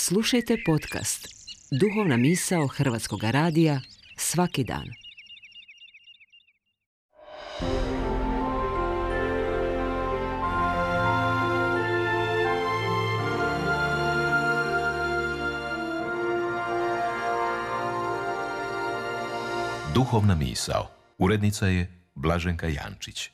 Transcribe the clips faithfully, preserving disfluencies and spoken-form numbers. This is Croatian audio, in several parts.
Slušajte podcast Duhovna misao Hrvatskog radija svaki dan. Duhovna misao. Urednica je Blaženka Jančić.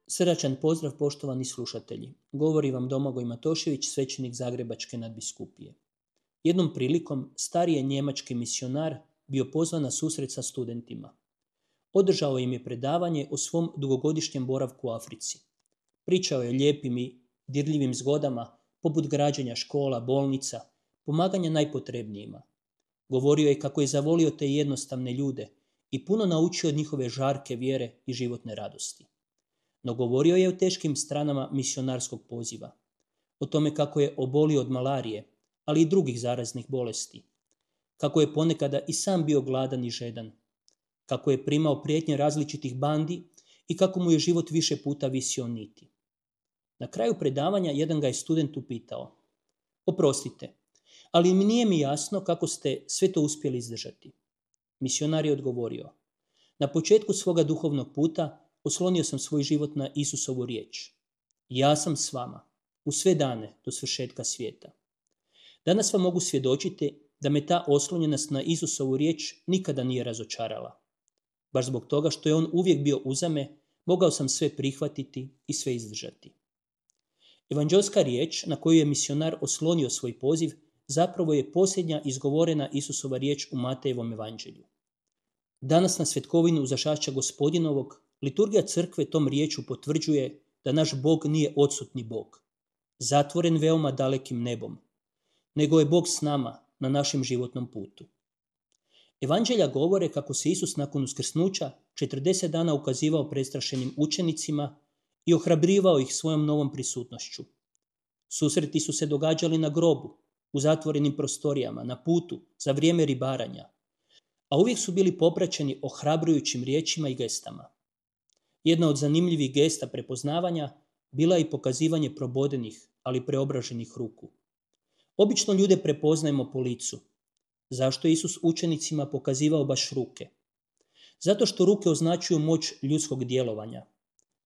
Srdačan pozdrav, poštovani slušatelji. Govori vam Domagoj Matošević, svećenik Zagrebačke nadbiskupije. Jednom prilikom stari je njemački misionar bio pozvan na susret sa studentima. Održao im je predavanje o svom dugogodišnjem boravku u Africi. Pričao je o lijepim i dirljivim zgodama, poput građenja škola, bolnica, pomaganja najpotrebnijima. Govorio je kako je zavolio te jednostavne ljude i puno naučio od njihove žarke vjere i životne radosti. No govorio je o teškim stranama misionarskog poziva, o tome kako je obolio od malarije, ali i drugih zaraznih bolesti, kako je ponekada i sam bio gladan i žedan, kako je primao prijetnje različitih bandi i kako mu je život više puta visio niti. Na kraju predavanja jedan ga je student upitao: "Oprostite, ali mi nije mi jasno kako ste sve to uspjeli izdržati." Misionar je odgovorio: "Na početku svoga duhovnog puta oslonio sam svoj život na Isusovu riječ. Ja sam s vama, u sve dane do svršetka svijeta. Danas vam mogu svjedočiti da me ta oslonjenost na Isusovu riječ nikada nije razočarala. Baš zbog toga što je on uvijek bio uza me, mogao sam sve prihvatiti i sve izdržati." Evanđelska riječ na koju je misionar oslonio svoj poziv zapravo je posljednja izgovorena Isusova riječ u Matejevom evanđelju. Danas na svetkovinu Uzašašća Gospodinovog liturgija crkve tom riječu potvrđuje da naš Bog nije odsutni Bog, zatvoren veoma dalekim nebom, nego je Bog s nama na našem životnom putu. Evanđelja govore kako se Isus nakon uskrsnuća četrdeset dana ukazivao prestrašenim učenicima i ohrabrivao ih svojom novom prisutnošću. Susreti su se događali na grobu, u zatvorenim prostorijama, na putu, za vrijeme ribaranja, a uvijek su bili popraćeni ohrabrujućim riječima i gestama. Jedna od zanimljivih gesta prepoznavanja bila je i pokazivanje probodenih, ali preobraženih ruku. Obično ljude prepoznajemo po licu. Zašto je Isus učenicima pokazivao baš ruke? Zato što ruke označuju moć ljudskog djelovanja.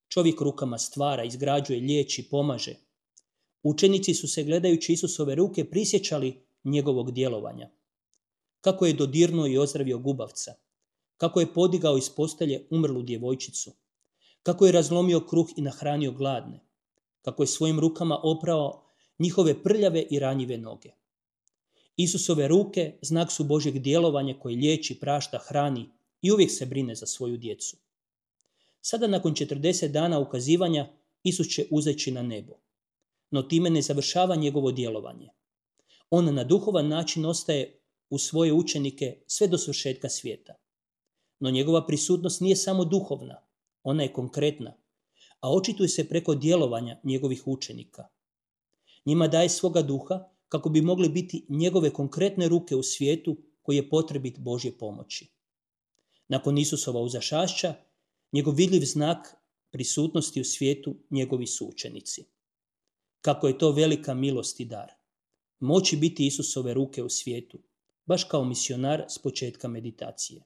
Čovjek rukama stvara, izgrađuje, liječi, pomaže. Učenici su se, gledajući Isusove ruke, prisjećali njegovog djelovanja. Kako je dodirnuo i ozdravio gubavca, kako je podigao iz postelje umrlu djevojčicu, kako je razlomio kruh i nahranio gladne, kako je svojim rukama oprao njihove prljave i ranjive noge. Isusove ruke znak su Božjeg djelovanja koji liječi, prašta, hrani i uvijek se brine za svoju djecu. Sada nakon četrdeset dana ukazivanja Isus će uzeći na nebo, no time ne završava njegovo djelovanje. On na duhovan način ostaje u svoje učenike sve do svršetka svijeta. No njegova prisutnost nije samo duhovna, ona je konkretna, a očituje se preko djelovanja njegovih učenika. Njima daje svoga duha kako bi mogli biti njegove konkretne ruke u svijetu koji je potrebit Božje pomoći. Nakon Isusova uzašašća, njegov vidljiv znak prisutnosti u svijetu njegovi su učenici. Kako je to velika milost i dar. Moći biti Isusove ruke u svijetu, baš kao misionar s početka meditacije.